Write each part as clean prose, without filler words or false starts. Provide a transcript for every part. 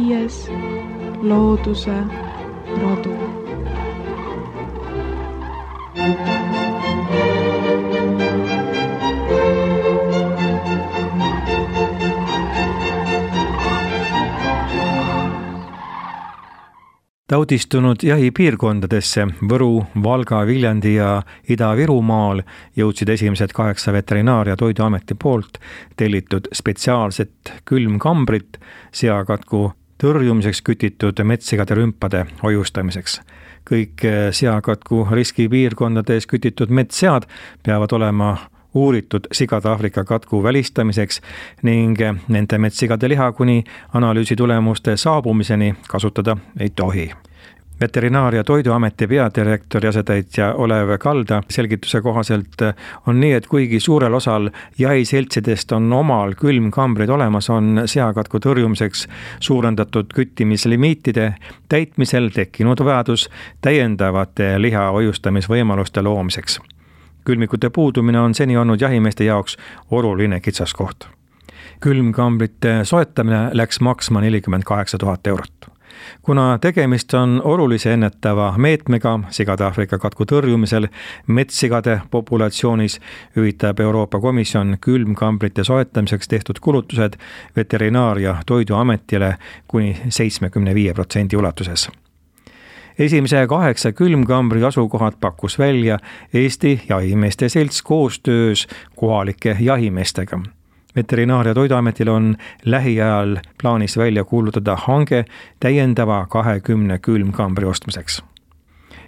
5. looduse rodu. Taudistunud jahipiirkondadesse Võru, Valga, Viljandi ja Ida-Virumaal jõudsid esimesed 8 Veterinaar- ja Toiduameti poolt tellitud spetsiaalset külmkambrit seakatku tõrjumiseks kütitud metssigade rümpade hoiustamiseks. Kõik seakatku riskipiirkondades kütitud metssead peavad olema uuritud sigade Aafrika katku välistamiseks ning nende metssigade liha kuni analüüsi tulemuste saabumiseni kasutada ei tohi. Veterinaar- ja Toiduameti peadirektori asetäitja Olev Kalda selgituse kohaselt on nii, et kuigi suurel osal jahiseltsidest on omal külmkambrid olemas, on seakatku tõrjumiseks suurendatud küttimislimiitide täitmisel tekkinud vajadus täiendavate liha hoiustamisvõimaluste loomiseks. Külmikute puudumine on seni olnud jahimeeste jaoks oluline kitsaskoht. Külmkambrite soetamine läks maksma 48 000 eurot. Kuna tegemist on olulise ennetava meetmega sigade Aafrika katku tõrjumisel metssigade populatsioonis, hüvitab Euroopa Komisjon külmkambrite soetamiseks tehtud kulutused Veterinaar- ja Toiduametile kuni 75% ulatuses. Esimese 8 külmkambri asukohad pakkus välja Eesti Jahimeeste Selts koostöös kohalike jahimeestega. Veterinaar- ja Toiduametil on lähiajal plaanis välja kuulutada hange täiendava 20 külmkambri ostmiseks.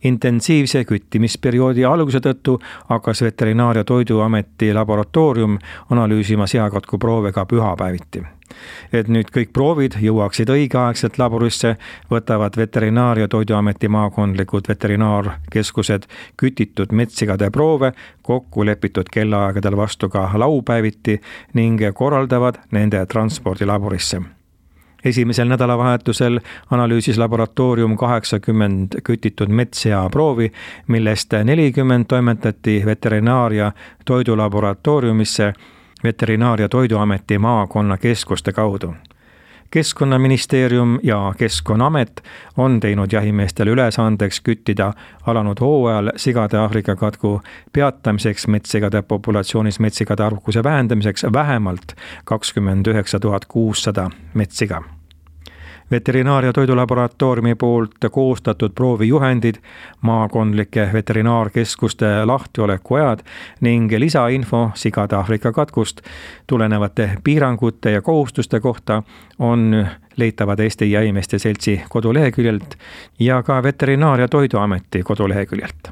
Intensiivse küttimisperioodi alguse tõttu hakkas Veterinaar- ja Toiduameti laboratoorium analüüsima seakatku proove ka pühapäeviti. Et nüüd kõik proovid jõuaksid õigeaegselt laborisse, võtavad Veterinaar- ja Toiduameti maakondlikud veterinaarkeskused kütitud metssigade proove kokku lepitud kellaaegadel vastu ka laupäeviti ning korraldavad nende transpordi laborisse. Esimesel nädalavahetusel analüüsis laboratoorium 80 kütitud metssea proovi, millest 40 toimetati Veterinaar- ja Toidulaboratooriumisse Veterinaar- ja Toiduameti maakonnakeskuste kaudu. Keskkonnaministeerium ja Keskkonnaamet on teinud jahimeestele ülesandeks küttida alanud hooajal sigade Aafrika katku peatamiseks metssigade populatsioonis metssigade arvukuse vähendamiseks vähemalt 29 600 metssiga. Veterinaar- ja Toidulaboratooriumi poolt koostatud proovijuhendid, maakondlike veterinaarkeskuste lahtiolekuajad ning lisainfo sigade Aafrika katkust tulenevate piirangute ja kohustuste kohta on leitavad Eesti Jahimeeste Seltsi koduleheküljelt ja ka Veterinaar- ja Toiduameti koduleheküljelt.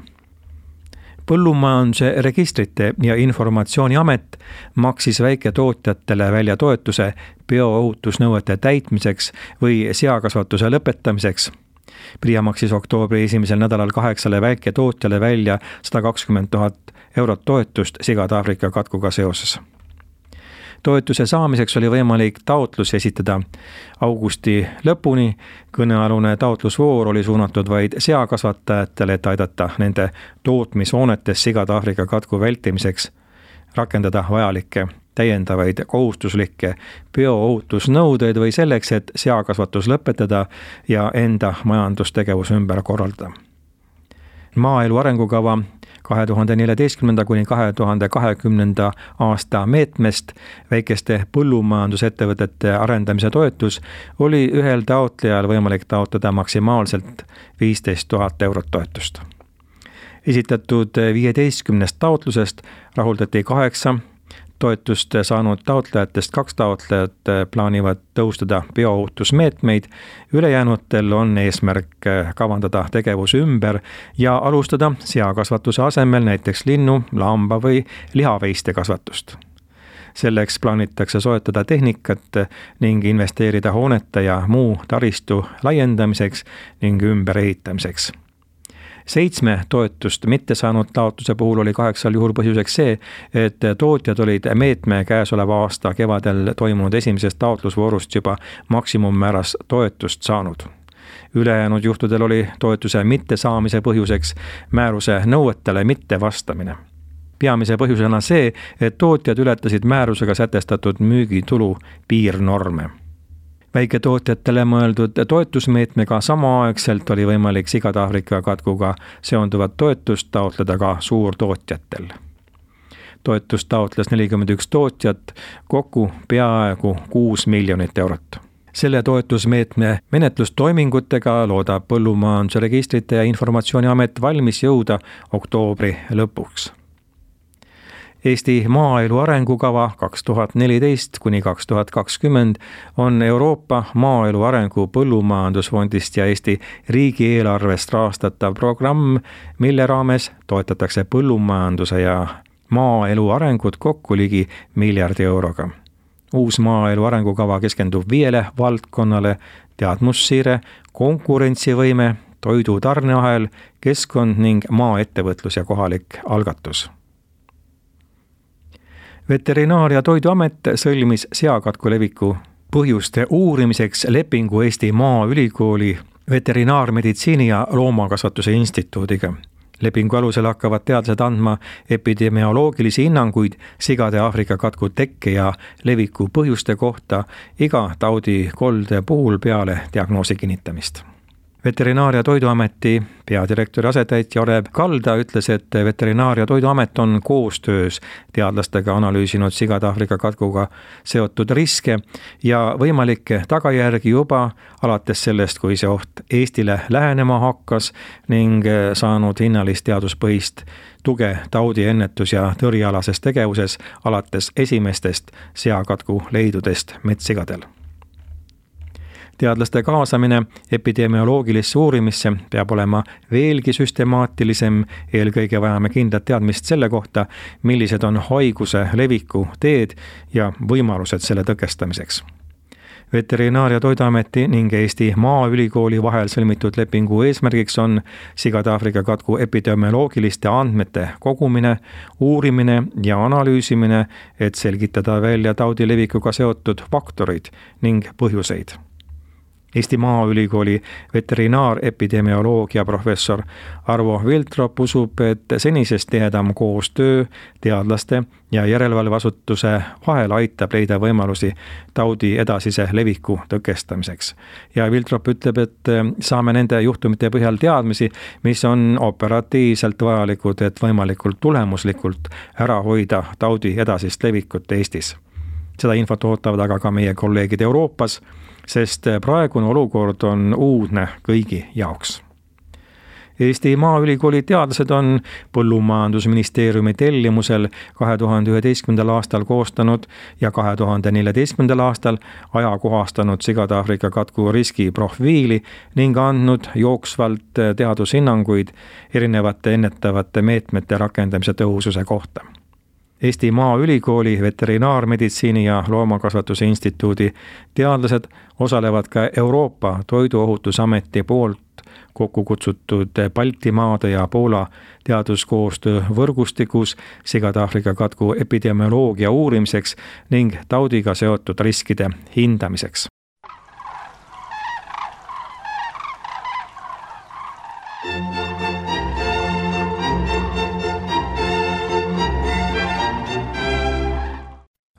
Põllumajanduse Registrite ja Informatsiooni Amet maksis väiketootjatele välja toetuse bioohutusnõuete täitmiseks või seakasvatuse lõpetamiseks. PRIA maksis oktoobri esimesel nädalal 8 väiketootjale välja 120 000 eurot toetust sigade Aafrika katkuga seoses. Toetuse saamiseks oli võimalik taotlus esitada augusti lõpuni. Kõnealune taotlusvoor oli suunatud vaid seakasvatajatele, et aidata nende tootmishoonetes sigade Aafrika katku vältimiseks rakendada vajalikke täiendavaid kohustuslikke bioohutusnõudeid või selleks, et seakasvatus lõpetada ja enda majandustegevus ümber korraldada. Maaelu arengukava 2014–2020 aasta meetmest väikeste põllumajandusettevõtete arendamise toetus oli ühel taotlejal võimalik taotleda maksimaalselt 15 000 eurot toetust. Esitatud 15 taotlusest rahuldati 8 toetust saanud taotlejatest 2 taotlejat plaanivad tõustada bioohutusmeetmeid, ülejäänutel on eesmärk kavandada tegevus ümber ja alustada seakasvatuse asemel näiteks linnu, lamba või lihaveiste kasvatust. Selleks plaanitakse soetada tehnikat ning investeerida hoonete ja muu taristu laiendamiseks ning ümberehitamiseks. 7 toetust mitte saanud taotluse puhul oli 8 juhul põhjuseks see, et tootjad olid meetme käesoleva aasta kevadel toimunud esimesest taotlusvoorust juba maksimummääras toetust saanud. Ülejäänud juhtudel oli toetuse mittesaamise põhjuseks määruse nõuetele mittevastamine. Peamise põhjusena see, et tootjad ületasid määrusega sätestatud müügitulu piirnorme. väiketootjatele mõeldud toetusmeetmega samaaegselt oli võimalik sigade Aafrika katkuga seonduvat toetust taotleda ka suurtootjatel. Toetust taotles 41 tootjat, kokku peaaegu 6 miljonit eurot. Selle toetusmeetme menetlustoimingutega loodab Põllumajanduse Registrite ja Informatsiooniamet valmis jõuda oktoobri lõpuks. Eesti maaelu arengukava 2014–2020 on Euroopa Maaelu Arengu Põllumajandusfondist ja Eesti riigieelarvest rahastatav programm, mille raames toetatakse põllumajanduse ja maaelu arengut kokku ligi miljardi euroga. Uus maaelu arengukava keskendub 5 valdkonnale: teadmussiire, konkurentsivõime, toidu tarneahel, keskkond ning maaettevõtlus ja kohalik algatus. Veterinaar- ja Toiduamet sõlmis seakatku leviku põhjuste uurimiseks lepingu Eesti Maaülikooli Veterinaarmeditsiini ja Loomakasvatuse Instituudiga. Lepingu alusel hakkavad teadlased andma epidemioloogilisi hinnanguid sigade Aafrika katku tekke ja leviku põhjuste kohta iga taudikolde puhul peale diagnoosi kinnitamist. Veterinaar- ja Toiduameti peadirektori asetäitja Orev Kalda ütles, et Veterinaar- ja Toiduamet on koostöös teadlastega analüüsinud sigade Aafrika katkuga seotud riske ja võimalikke tagajärgi juba alates sellest, kui see oht Eestile lähenema hakkas ning saanud hinnalist teaduspõhist tuge taudi ennetus- ja tõrjealases tegevuses alates esimestest seakatku leidudest metssigadel. Teadlaste kaasamine epidemioloogilisse uurimisse peab olema veelgi süstemaatilisem, eelkõige vajame kindlat teadmist selle kohta, millised on haiguse leviku teed ja võimalused selle tõkestamiseks. Veterinaar- ja Toiduameti ning Eesti Maaülikooli vahel sõlmitud lepingu eesmärgiks on sigade Aafrika katku epidemioloogiliste andmete kogumine, uurimine ja analüüsimine, et selgitada välja taudi levikuga seotud faktorid ning põhjuseid. Eesti Maaülikooli veterinaarepidemioloogia professor Arvo Viltrop usub, et senisest tihedam koostöö teadlaste ja järelevalveasutuse vahel aitab leida võimalusi taudi edasise leviku tõkestamiseks. Ja Viltrop ütleb, et saame nende juhtumite põhjal teadmisi, mis on operatiivselt vajalikud, et võimalikult tulemuslikult ära hoida taudi edasist levikut Eestis. Seda infot ootavad aga ka meie kolleegid Euroopas, sest praegune olukord on uudne kõigi jaoks. Eesti Maaülikooli teadlased on Põllumajandusministeeriumi tellimusel 2011. aastal koostanud ja 2014. aastal ajakohastanud sigade Aafrika katku riskiprofiili ning andnud jooksvalt teadushinnanguid erinevate ennetavate meetmete rakendamise tõhususe kohta. Eesti Maaülikooli Veterinaarmeditsiini ja Loomakasvatuse Instituudi teadlased osalevad ka Euroopa Toiduohutusameti poolt kokku kutsutud Baltimaade ja Poola teaduskoostöö võrgustikus sigade Aafrika katku epidemioloogia uurimiseks ning taudiga seotud riskide hindamiseks.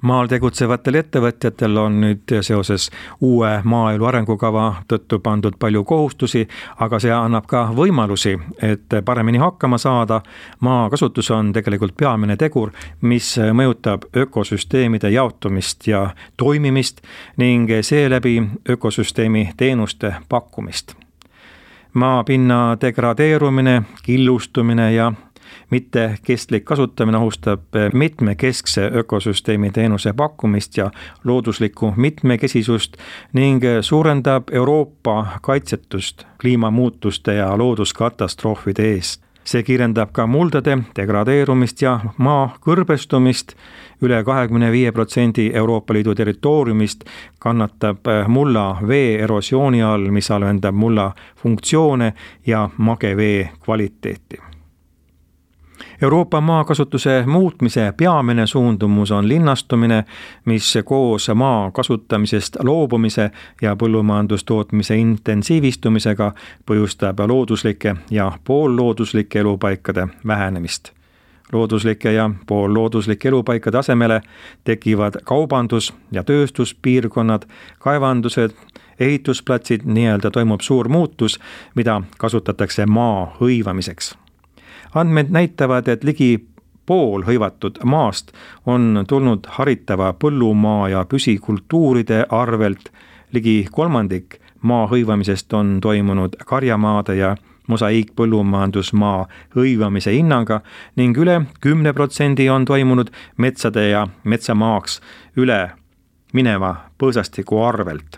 Maal tegutsevatel ettevõtjatel on nüüd seoses uue maaelu arengukava tõttu pandud palju kohustusi, aga see annab ka võimalusi, et paremini hakkama saada. Maakasutus on tegelikult peamine tegur, mis mõjutab ökosüsteemide jaotumist ja toimimist ning seeläbi ökosüsteemi teenuste pakkumist. Maapinna degradeerumine, killustumine ja mitte kestlik kasutamine ohustab mitmekeskse ökosüsteemi teenuse pakkumist ja looduslikku mitmekesisust ning suurendab Euroopa kaitsetust kliimamuutuste ja looduskatastroofide eest. See kiirendab ka muldade degradeerumist ja maa kõrbestumist. Üle 25% Euroopa Liidu territooriumist kannatab mulla vee erosiooni all, mis halvendab mulla funktsioone ja magevee kvaliteeti. Euroopa maakasutuse muutmise peamine suundumus on linnastumine, mis koos maa kasutamisest loobumise ja põllumajandustootmise intensiivistumisega põhjustab looduslike ja poollooduslike elupaikade vähenemist. looduslike ja poollooduslike elupaikade asemele tekivad kaubandus- ja tööstuspiirkonnad, kaevandused, ehitusplatsid, nii-öelda toimub suur muutus, mida kasutatakse maa hõivamiseks. Andmed näitavad, et ligi pool hõivatud maast on tulnud haritava põllumaa ja püsikultuuride arvelt, ligi kolmandik maa hõivamisest on toimunud karjamaade ja mosaiikpõllumajandusmaa hõivamise hinnaga ning üle 10% on toimunud metsade ja metsamaaks üle mineva põõsastiku arvelt.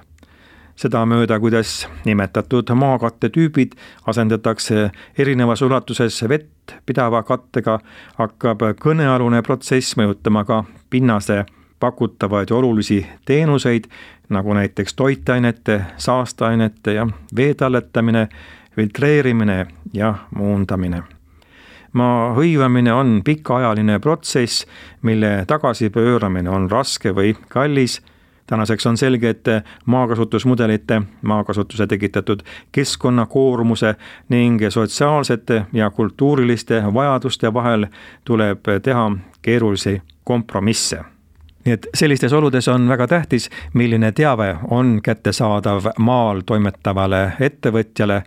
Seda mööda, kuidas nimetatud maakatte tüübid asendatakse erinevas ulatuses vett pidava kattega, hakkab kõnealune protsess mõjutama ka pinnase pakutavaid olulisi teenuseid, nagu näiteks toitainete, saasteainete ja vee talletamine, filtreerimine ja muundamine. Maa hõivamine on pikaajaline protsess, mille tagasipööramine on raske või kallis. Tänaseks on selge, et maakasutusmudelite, maakasutuse tekitatud keskkonnakoormuse ning sotsiaalsete ja kultuuriliste vajaduste vahel tuleb teha keerulisi kompromisse. Nii et sellistes oludes on väga tähtis, milline teave on kättesaadav maal toimetavale ettevõtjale.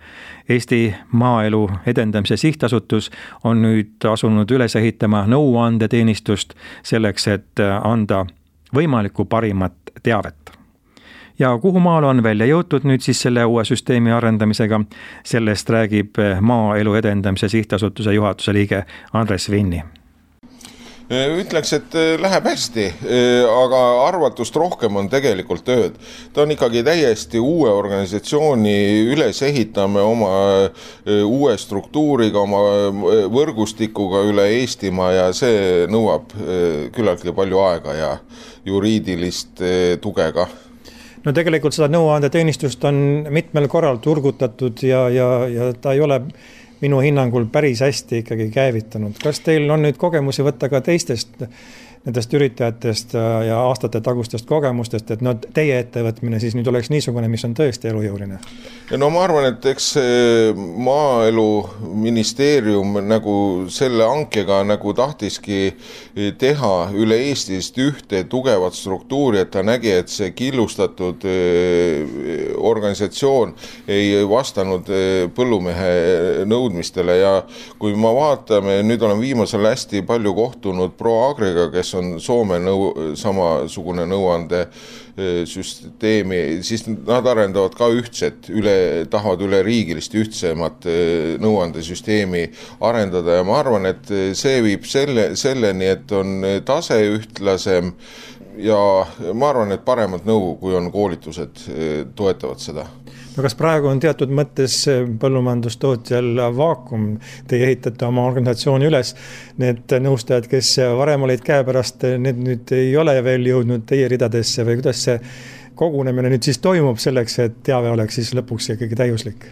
Eesti Maaelu Edendamise Sihtasutus on nüüd asunud üles ehitama nõuandeteenistust selleks, et anda võimalikku parimat teavet. Ja kuhu maal on välja jõutud nüüd siis selle uue süsteemi arendamisega, sellest räägib Maaelu Edendamise Sihtasutuse juhatuse liige Andres Vinni. Ütleks, et läheb hästi, aga arvatust rohkem on tegelikult tööd. Ta on ikkagi täiesti uue organisatsiooni üles ehitame oma uue struktuuriga, oma võrgustikuga üle Eestimaa ja see nõuab küllaltki palju aega ja juriidilist tuge ka. No tegelikult seda nõuandeteenistust on mitmel korral turgutatud ja ta ei ole minu hinnangul päris hästi ikkagi käivitanud. Kas teil on nüüd kogemusi võtta ka teistest nendest üritajatest ja aastate tagustest kogemustest, et teie ettevõtmine siis nüüd oleks niisugune, mis on tõesti elujõuline? No ma arvan, et eks Maaeluministeerium nagu selle hankega nagu tahtiski teha üle Eestist ühte tugevat struktuuri, et ta nägi, et see killustatud organisatsioon ei vastanud põllumehe nõudmistele ja kui ma vaatame, nüüd olen viimasel hästi palju kohtunud ProAgriga, kes on Soome samasugune nõuande süsteemi, siis nad arendavad ka ühtset, tahavad üle riigilist ühtsemat nõuandesüsteemi arendada ja ma arvan, et see viib selleni, et on tase ühtlasem ja ma arvan, et paremad nõu, kui on koolitused, toetavad seda. No kas praegu on teatud mõttes põllumajandustootjal vaakum? Te ehitate oma organisatsiooni üles, need nõustajad, kes varem olid käepärast, need nüüd ei ole veel jõudnud teie ridadesse või kuidas see kogunemine nüüd siis toimub selleks, et teave oleks siis lõpuks ikkagi täiuslik?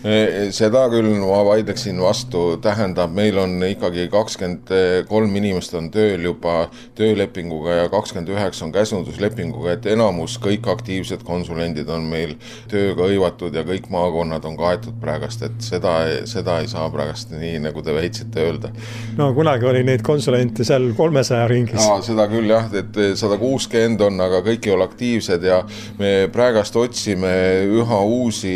Seda küll ma vaidleksin vastu, tähendab, meil on ikkagi 23 inimest on tööl juba töölepinguga ja 29 on käsunduslepinguga, et enamus kõik aktiivsed konsulendid on meil tööga hõivatud ja kõik maakonnad on kaetud praegast, et seda ei saa praegast nii, nagu te väitsite öelda. No kunagi oli neid konsulente seal 300 ringis. Ja, seda küll jah, et 160 on, aga kõik ei ole aktiivsed ja me praegast otsime üha uusi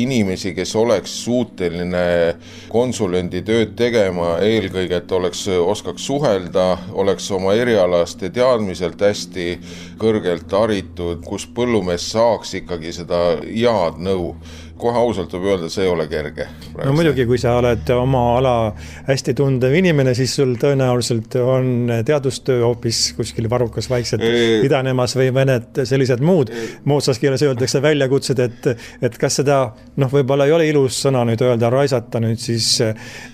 inimesi, kes oleks suuteline konsulendi tööd tegema, eelkõige, et oskaks suhelda, oleks oma erialaste teadmiselt hästi kõrgelt haritud, kus põllumees saaks ikkagi seda head nõu. Kohe ausalt võib öelda, see ei ole kerge. No muidugi, kui sa oled oma ala hästi tundev inimene, siis sul tõenäoliselt on teadustöö hoopis kuskil varrukas vaikselt idanemas või mõned sellised muud. Moodsas keeles öeldakse väljakutsed, et kas seda, võib-olla ei ole ilus sõna nüüd öelda, raisata nüüd siis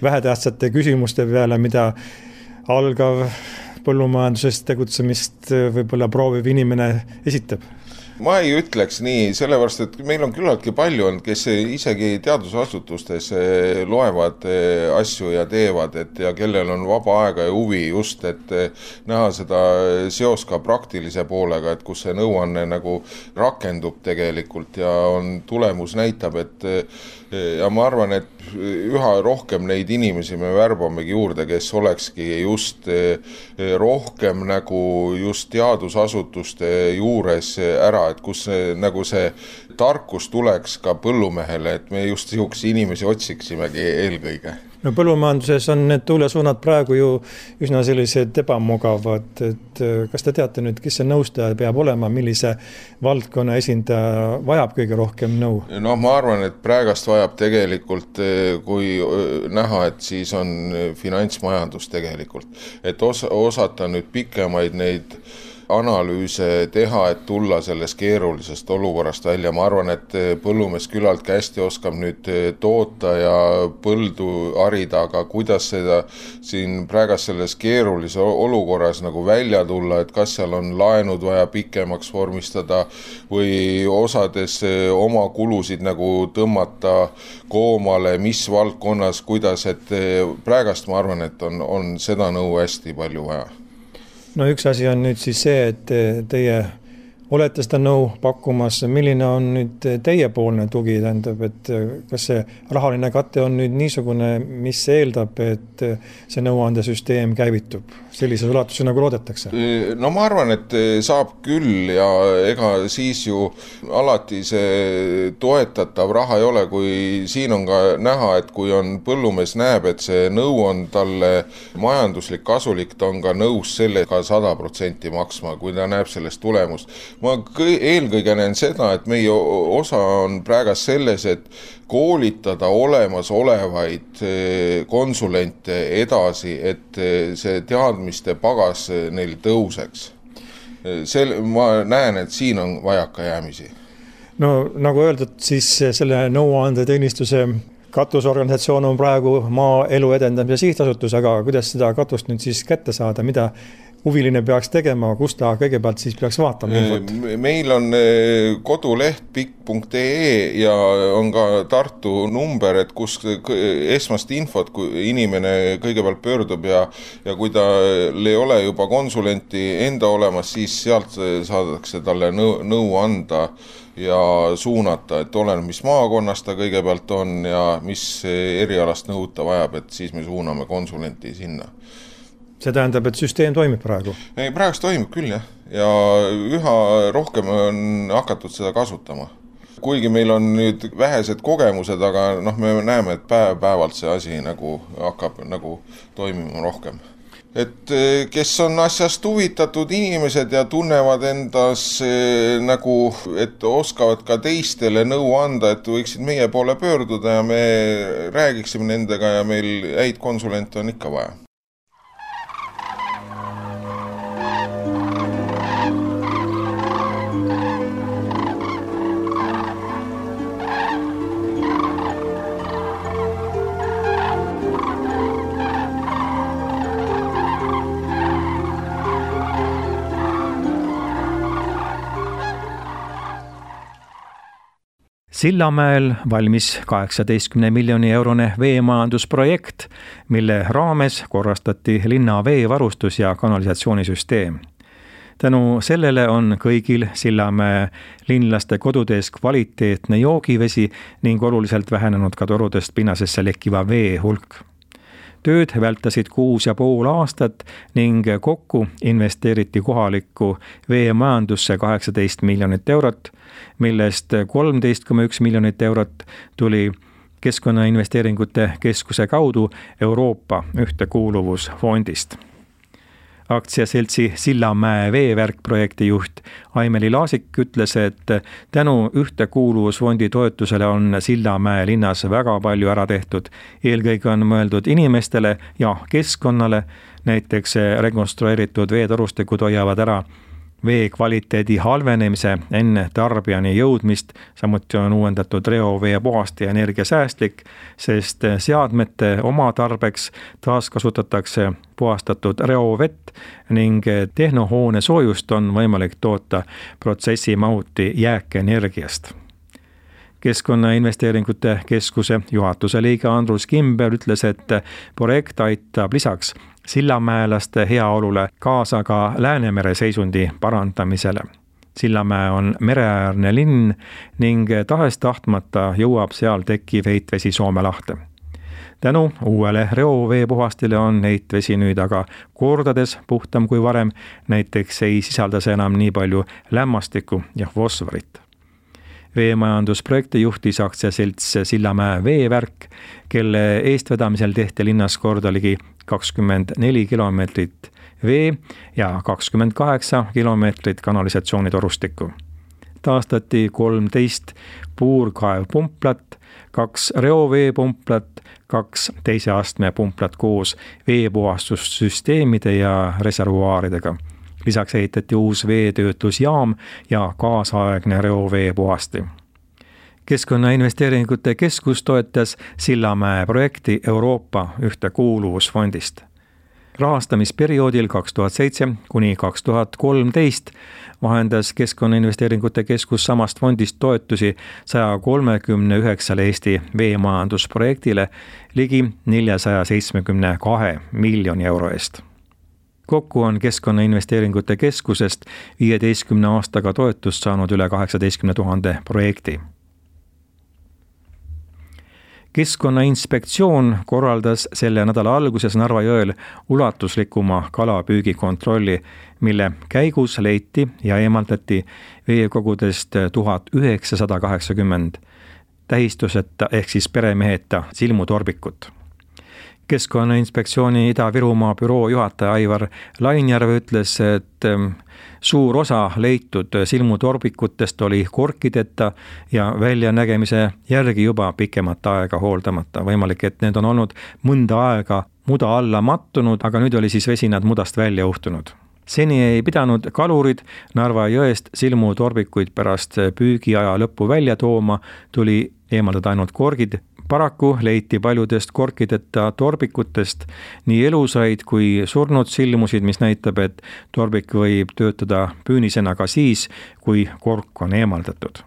vähetähtsate küsimuste peale, mida algav põllumajandusest tegutsemist võib-olla prooviv inimene esitab. ma ei ütleks nii, sellepärast, et meil on küllaltki palju olnud, kes isegi teadusasutustes loevad asju ja teevad, ja kellel on vaba aega ja huvi just, et näha seda seos ka praktilise poolega, et kus see nõuanne nagu rakendub tegelikult ja tulemus näitab, et ja ma arvan, et üha rohkem neid inimesi me värbamegi juurde, kes olekski just rohkem nagu just teadusasutuste juures ära, et kus nagu see tarkus tuleks ka põllumehele, et me just niisuguseid inimesi otsiksimegi eelkõige. No põllumajanduses on need tuulesuunad praegu ju üsna sellised ebamugavad, et kas te teate nüüd, kes see nõustaja peab olema, millise valdkonna esindaja vajab kõige rohkem nõu? No ma arvan, et praegast vajab tegelikult, kui näha, et siis on finantsmajandus tegelikult, et osata nüüd pikemaid neid analüüse teha, et tulla sellest keerulisest olukorrast välja. Ma arvan, et põllumees küllalt hästi oskab nüüd toota ja põldu harida, aga kuidas seda siin praegast selles keerulise olukorras nagu välja tulla, et kas seal on laenud vaja pikemaks vormistada või osades oma kulusid nagu tõmmata koomale, mis valdkonnas, kuidas, et praegast ma arvan, et on seda nõu hästi palju vaja. No üks asi on nüüd siis see, et teie olete seda nõu pakkumas, milline on nüüd teiepoolne tugi, tähendab, et kas see rahaline kate on nüüd niisugune, mis eeldab, et see nõuandesüsteem käivitub sellises ulatuses, nagu loodetakse? No ma arvan, et saab küll ja ega siis ju alati see toetatav raha ei ole, kui siin on ka näha, et kui on põllumees näeb, et see nõu on talle majanduslik kasulik, ta on ka nõus sellega 100% maksma, kui ta näeb sellest tulemust. Ma eelkõige näen seda, et meie osa on praegast selles, et koolitada olemasolevaid konsulente edasi, et see teadmiste pagas neil tõuseks. Ma näen, et siin on vajakajäämisi. No nagu öeldud, siis selle nõuandeteenistuse katusorganisatsioon on praegu Maaelu Edendamise Sihtasutus, aga kuidas seda katust nüüd siis kätte saada, mida huviline peaks tegema, kus ta kõigepealt siis peaks vaatama infot? Meil on koduleht pikk.ee ja on ka Tartu number, et kus esmast infot, kui inimene kõigepealt pöördub ja kui ta ei ole juba konsulenti enda olemas, siis sealt saadakse talle nõu anda ja suunata, et oleneb, mis maakonnas ta kõigepealt on ja mis erialast nõud ta vajab, et siis me suuname konsulenti sinna. See tähendab, et süsteem toimib praegu? Praegu toimib küll, jah. Ja üha rohkem on hakatud seda kasutama. Kuigi meil on nüüd vähesed kogemused, aga me näeme, et päevalt see asi nagu hakkab nagu toimima rohkem. Et kes on asjast huvitatud inimesed ja tunnevad endas nagu, et oskavad ka teistele nõu anda, et võiksid meie poole pöörduda ja me räägiksime nendega ja meil häid konsulente on ikka vaja. Sillamäel valmis 18 miljoni eurone veemajandusprojekt, mille raames korrastati linna veevarustus- ja kanalisatsioonisüsteem. Tänu sellele on kõigil Sillamäe linlaste kodudes kvaliteetne joogivesi ning oluliselt vähenenud ka torudest pinnasesse lekkiva vee hulk. Tööd vältasid 6,5 aastat ning kokku investeeriti kohalikku veemajandusse 18 miljonit eurot, millest 13,1 miljonit eurot tuli Keskkonnainvesteeringute Keskuse kaudu Euroopa ühtekuuluvusfondist. Aktsiaseltsi Sillamäe veevärk projekti juht Aimeli Laasik ütles, et tänu ühtekuuluvusfondi toetusele on Sillamäe linnas väga palju ära tehtud. Eelkõige on mõeldud inimestele ja keskkonnale, näiteks rekonstrueeritud veetorustikud hoiavad ära vee kvaliteedi halvenemise enne tarbijani jõudmist, samuti on uuendatud reovee puhast ja energiasäästlik, sest seadmete oma tarbeks taaskasutatakse puhastatud reovett ning tehnohoone soojust on võimalik toota protsessimahuti jääkenergiast. Keskkonnainvesteeringute keskuse juhatuse liige Andrus Kimber ütles, et projekt aitab lisaks sillamäelaste heaolule kaasa ka Läänemere seisundi parandamisele. Sillamäe on mereäärne linn ning tahes-tahtmata jõuab seal tekkiv heitvesi Soome lahte. Tänu uuele reovee puhastile on heitvesi nüüd aga kordades puhtam kui varem, näiteks ei sisalda see enam nii palju lämmastikku ja fosforit. Veemajandusprojekti juhtis aktsiaselts Sillamäe veevärk, kelle eestvedamisel tehti linnas korda ligi 24 kilomeetrit vee ja 28 kilomeetrit kanalisatsioonitorustikku. Taastati 13 puurkaevpumplat, 2 reoveepumplat, 2 teise astme pumplat koos veepuhastussüsteemide ja reservuaaridega. Lisaks ehitati uus veetöötlusjaam ja kaasaegne reovee puhasti. Keskkonnainvesteeringute keskus toetas Sillamäe projekti Euroopa ühtekuuluvusfondist. Rahastamisperioodil 2007 kuni 2013 vahendas Keskkonnainvesteeringute keskus samast fondist toetusi 139 Eesti veemajandusprojektile ligi 472 miljoni euro eest. Kokku on Keskkonnainvesteeringute keskusest 15 aastaga toetust saanud üle 18 000 projekti. Keskkonnainspektsioon korraldas selle nädala alguses Narva jõel ulatuslikuma kalapüügikontrolli, mille käigus leiti ja eemaldati veekogudest 1980 tähistuseta ehk siis peremeheta silmutorbikut. Keskkonnainspektsiooni Ida-Virumaa büroo juhataja Aivar Lainjärv ütles, et suur osa leitud silmutorbikutest oli korkideta ja väljanägemise järgi juba pikemat aega hooldamata. Võimalik, et need on olnud mõnda aega muda alla mattunud, aga nüüd oli siis vesi nad mudast välja uhtunud. Seni ei pidanud kalurid Narva jõest silmutorbikuid pärast püügiaja lõppu välja tooma, tuli eemaldada ainult korgid. Paraku leiti paljudest korkideta torbikutest nii elusaid kui surnud silmusid, mis näitab, et torbik võib töötada püünisena ka siis, kui kork on eemaldatud.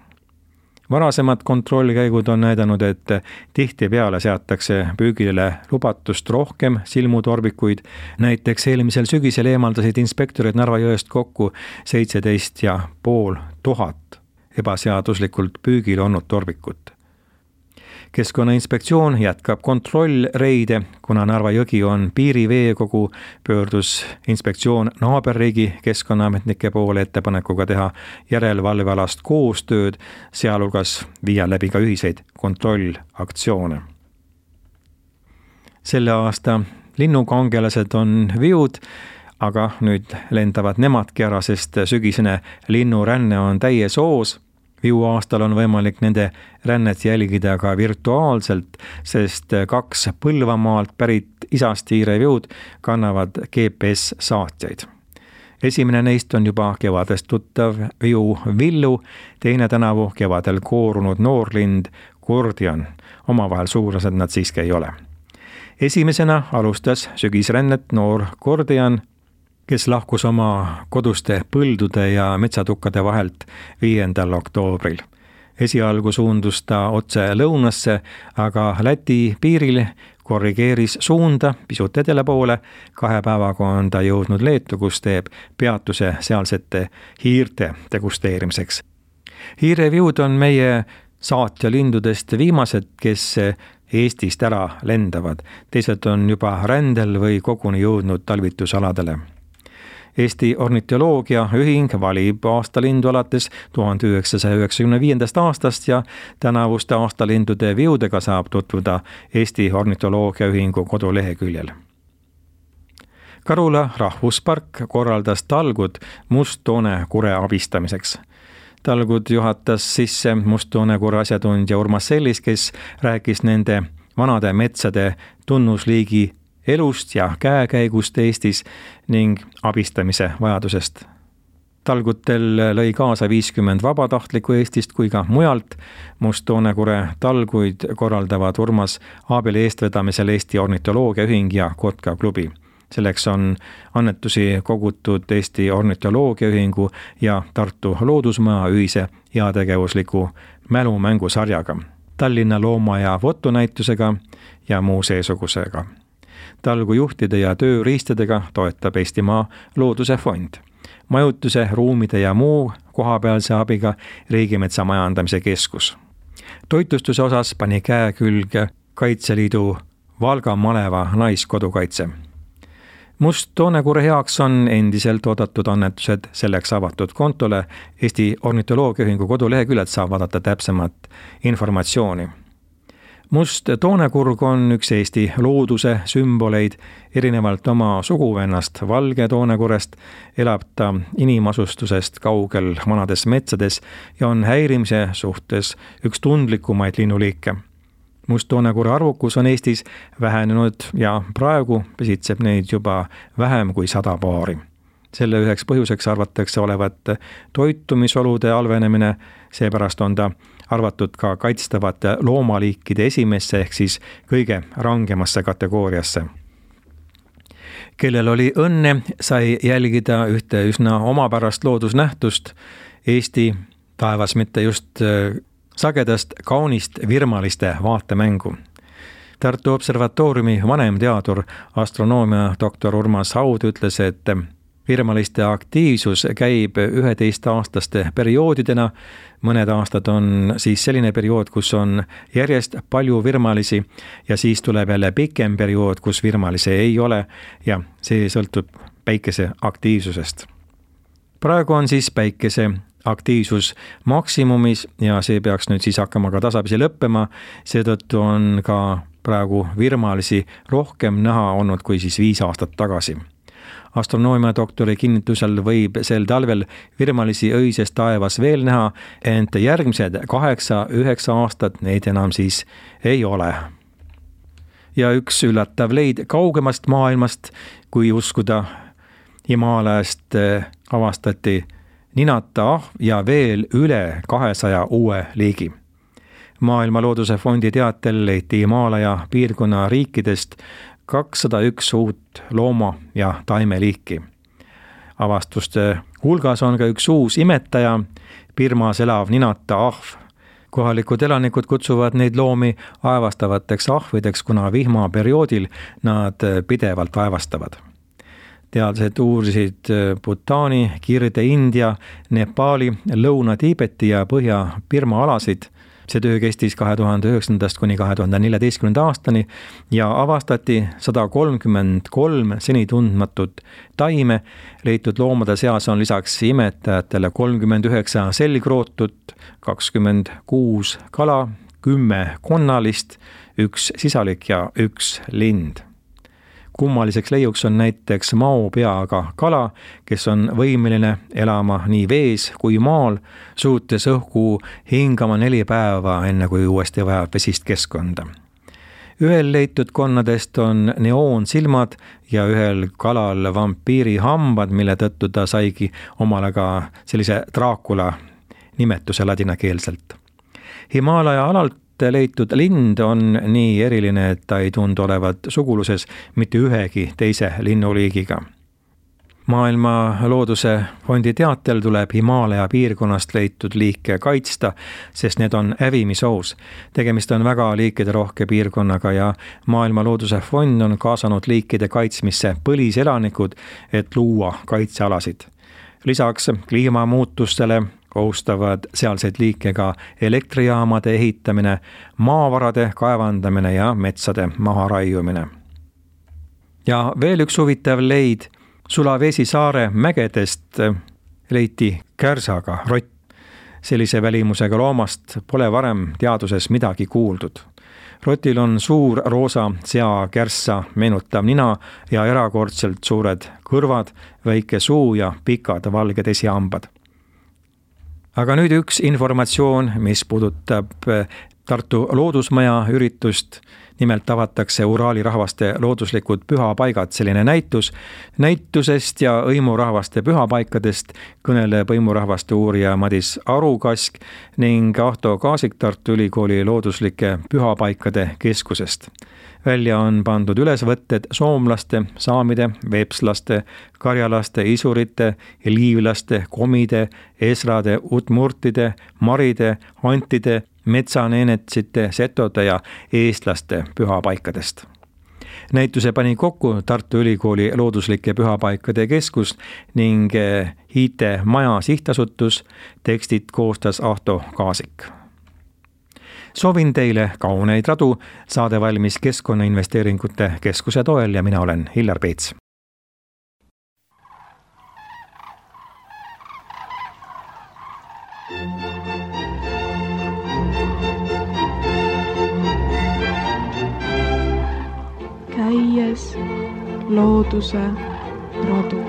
Varasemad kontrollkäigud on näidanud, et tihtipeale seatakse püügile lubatust rohkem silmutorbikuid. Näiteks eelmisel sügisel eemaldasid inspektorid Narva jõest kokku 17,500 ebaseaduslikult püügil olnud torbikut. Keskkonnainspektsioon jätkab kontrollreide, kuna Narva jõgi on piiriveekogu, pöördus inspektsioon naaberriigi keskkonnaametnike poole ettepanekuga teha järelevalvealast koostööd, sealhulgas viia läbi ka ühiseid kontrollaktsioone. Selle aasta linnukangelased on viud, aga nüüd lendavad nemadki ära, sest sügisene linnuränne on täies hoos. Viu aastal on võimalik nende rännet jälgida ka virtuaalselt, sest 2 Põlvamaalt pärit isastiire viud kannavad GPS-saatjaid. Esimene neist on juba kevadest tuttav viu Villu, teine tänavu kevadel koorunud noorlind Gordian. Omavahel suurlased nad siiski ei ole. Esimesena alustas sügisrännet noor Gordian, kes lahkus oma koduste põldude ja metsatukkade vahelt 5. oktoobril. Esialgu suundus ta otse lõunasse, aga Läti piiril korrigeeris suunda pisut edela poole. 2 päevaga on ta jõudnud Leetu, kus teeb peatuse sealsete hiirte degusteerimiseks. Hiireviud on meie saatjalindudest viimased, kes Eestist ära lendavad. Teised on juba rändel või koguni jõudnud talvitusaladele. Eesti ornitoloogia ühing valib aastalindu alates 1995. aastast ja tänavuste aastalindude viudega saab tutvuda Eesti ornitoloogia ühingu koduleheküljel. Karula rahvuspark korraldas talgud musttoonekure abistamiseks. Talgud juhatas sisse musttoonekure asjatundja Urmas Sellis, kes rääkis nende vanade metsade tunnusliigi elust ja käekäigust Eestis ning abistamise vajadusest. Talgutel lõi kaasa 50 vabatahtlikku Eestist kui ka mujalt. Must-Toonekure talguid korraldavad Urmas Aabeli eestvedamisel Eesti Ornitoloogiaühing ja Kotka klubi. Selleks on annetusi kogutud Eesti Ornitoloogiaühingu ja Tartu Loodusmaja ühise heategevusliku mälumängusarjaga, Tallinna looma- ja fotonäitusega ja muu seesugusega. Talgu juhtide ja tööriistadega toetab Eestimaa Looduse Fond. Majutuse, ruumide ja muu kohapealse abiga Riigimetsa Majandamise Keskus. Toitlustuse osas pani käe külge Kaitseliidu Valga maleva naiskodukaitse. Must-Toonekure heaks on endiselt oodatud annetused selleks avatud kontole. Eesti Ornitoloogiaühingu koduleheküljelt saab vaadata täpsemat informatsiooni. Must-Toonekurg on üks Eesti looduse sümboleid. Erinevalt oma suguvennast Valge Toonekurest elab ta inimasustusest kaugel vanades metsades ja on häirimise suhtes üks tundlikumaid linnuliike. Must-Toonekure arvukus on Eestis vähenenud ja praegu pesitseb neid juba vähem kui 100 paari. Selle üheks põhjuseks arvatakse olevat toitumisolude halvenemine, seepärast on ta arvatud ka kaitstavate loomaliikide esimesse ehk siis kõige rangemasse kategooriasse. Kellel oli õnne, sai jälgida ühte üsna omapärast loodusnähtust, Eesti taevas mitte just sagedast kaunist virmaliste vaatemängu. Tartu Observatooriumi vanemteadur, astronoomia doktor Urmas Haud ütles, et virmaliste aktiivsus käib 11-aastaste perioodidena. Mõned aastad on siis selline periood, kus on järjest palju virmalisi ja siis tuleb jälle pikem periood, kus virmalisi ei ole ja see sõltub päikese aktiivsusest. Praegu on siis päikese aktiivsus maksimumis ja see peaks nüüd siis hakkama ka tasapisi lõppema. Seetõttu on ka praegu virmalisi rohkem näha olnud kui siis 5 aastat tagasi. Astronoomia doktori kinnitusel võib sel talvel virmalisi öises taevas veel näha, ent järgmised 8-9 aastat neid enam siis ei ole. Ja üks üllatav leid kaugemast maailmast, kui uskuda, Himaalajast avastati ninata ahv ja veel üle 200 uue liigi. Maailma Looduse Fondi teatel leiti Himaalaja piirkonna riikidest 201 uut looma- ja taimeliiki. Avastuste hulgas on ka üks uus imetaja, Birmas elav ninata ahv. Kohalikud elanikud kutsuvad neid loomi aevastavateks ahvideks, kuna vihmaperioodil nad pidevalt aevastavad. Teadlased uurisid Bhutani, Kirde-India, Nepali, Lõuna-Tiibeti ja Põhja-Birma alasid. See töö kestis 2009. kuni 2014. aastani ja avastati 133 seni tundmatut taime. Leitud loomade seas on lisaks imetajatele 39 selgrootut, 26 kala, 10 konnalist, 1 sisalik ja 1 lind. Kummaliseks leiuks on näiteks maopeaga kala, kes on võimeline elama nii vees kui maal, suutes õhku hingama 4 päeva, enne kui uuesti vajab vesist keskkonda. Ühel leitud konnadest on neoonsilmad ja ühel kalal vampiiri hambad, mille tõttu ta saigi omale ka sellise Draakula nimetuse ladinakeelselt. Himaalaja alalt leitud lind on nii eriline, et ta ei tundu olevat suguluses mitte ühegi teise linnuliigiga. Maailma Looduse Fondi teatel tuleb Himaalaja piirkonnast leitud liike kaitsta, sest need on hävimisohus. Tegemist on väga liikide-rohke piirkonnaga ja Maailma Looduse Fond on kaasanud liikide kaitsmisse põliselanikud, et luua kaitsealasid. Lisaks kliimamuutustele kohustavad sealseid liike ka elektrijaamade ehitamine, maavarade kaevandamine ja metsade maharaiumine. Ja veel üks huvitav leid, Sulawesi saare mägedest leiti kärsaga rott. Sellise välimusega loomast pole varem teaduses midagi kuuldud. Rotil on suur roosa seakärssa meenutav nina ja erakordselt suured kõrvad, väike suu ja pikad valged esihambad. Aga nüüd üks informatsioon, mis puudutab Tartu Loodusmaja üritust. Nimelt avatakse Uraali rahvaste looduslikud pühapaigad, selline näitus. Näitusest ja hõimurahvaste pühapaikadest kõneleb hõimurahvaste uurija Madis Arukask ning Ahto Kaasik Tartu Ülikooli looduslike pühapaikade keskusest. Välja on pandud ülesvõtted soomlaste, saamide, veepslaste, karjalaste, isurite, liivlaste, komide, esrade, utmurtide, maride, antide, metsaneenetsite, setode ja eestlaste pühapaikadest. Näituse pani kokku Tartu Ülikooli looduslike pühapaikade keskus ning IT Maja sihtasutus. Tekstid koostas Ahto Kaasik. Soovin teile kauneid radu, saade valmis Keskkonnainvesteeringute Keskuse toel ja mina olen Hillar Peets. Käies looduse radu.